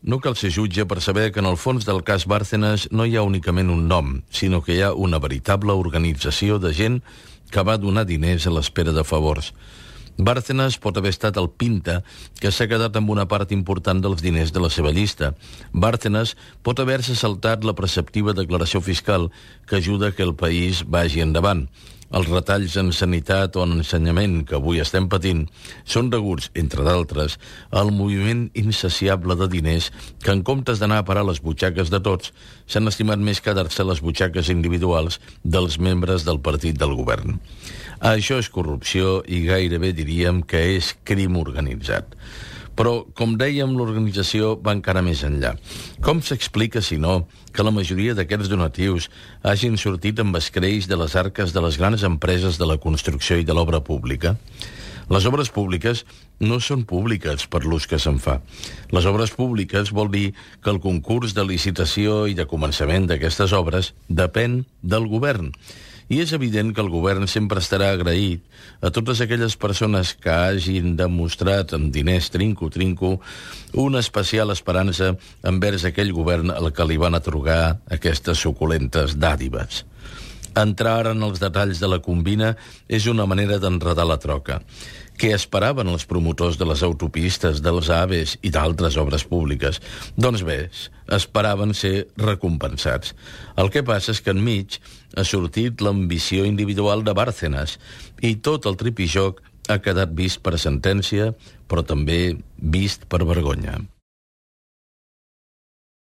No cal ser jutge per saber que en el fons del cas Bárcenas no hi ha únicament un nom, sinó que hi ha una veritable organització de gent que va donar diners a l'espera de favors. Bárcenas pot haver estat el Pinta, que s'ha quedat amb una part important dels diners de la seva llista. Bárcenas pot haver-se saltat la preceptiva declaració fiscal que ajuda que el país vagi endavant. Els retalls en sanitat o en ensenyament que avui estem patint són deguts, entre d'altres, al moviment insaciable de diners que, en comptes d'anar a parar les butxaques de tots, s'han estimat més quedar-se les butxaques individuals dels membres del partit del govern. Això és corrupció i gairebé diríem que és crim organitzat. Però, com dèiem, l'organització va encara més enllà. Com s'explica, si no, que la majoria d'aquests donatius hagin sortit amb escreix de les arques de les grans empreses de la construcció i de l'obra pública? Les obres públiques no són públiques per l'ús que se'n fa. Les obres públiques vol dir que el concurs de licitació i de començament d'aquestes obres depèn del govern. I és evident que el govern sempre estarà agraït a totes aquelles persones que hagin demostrat amb diners trinco una especial esperança envers aquell govern al que li van atorgar aquestes suculentes dàdives. Entrar en els detalls de la combina és una manera d'enredar la troca. Què esperaven els promotors de les autopistes, dels AVEs i d'altres obres públiques? Doncs bé, esperaven ser recompensats. El que passa és que enmig ha sortit l'ambició individual de Bárcenas i tot el tripijoc ha quedat vist per sentència, però també vist per vergonya.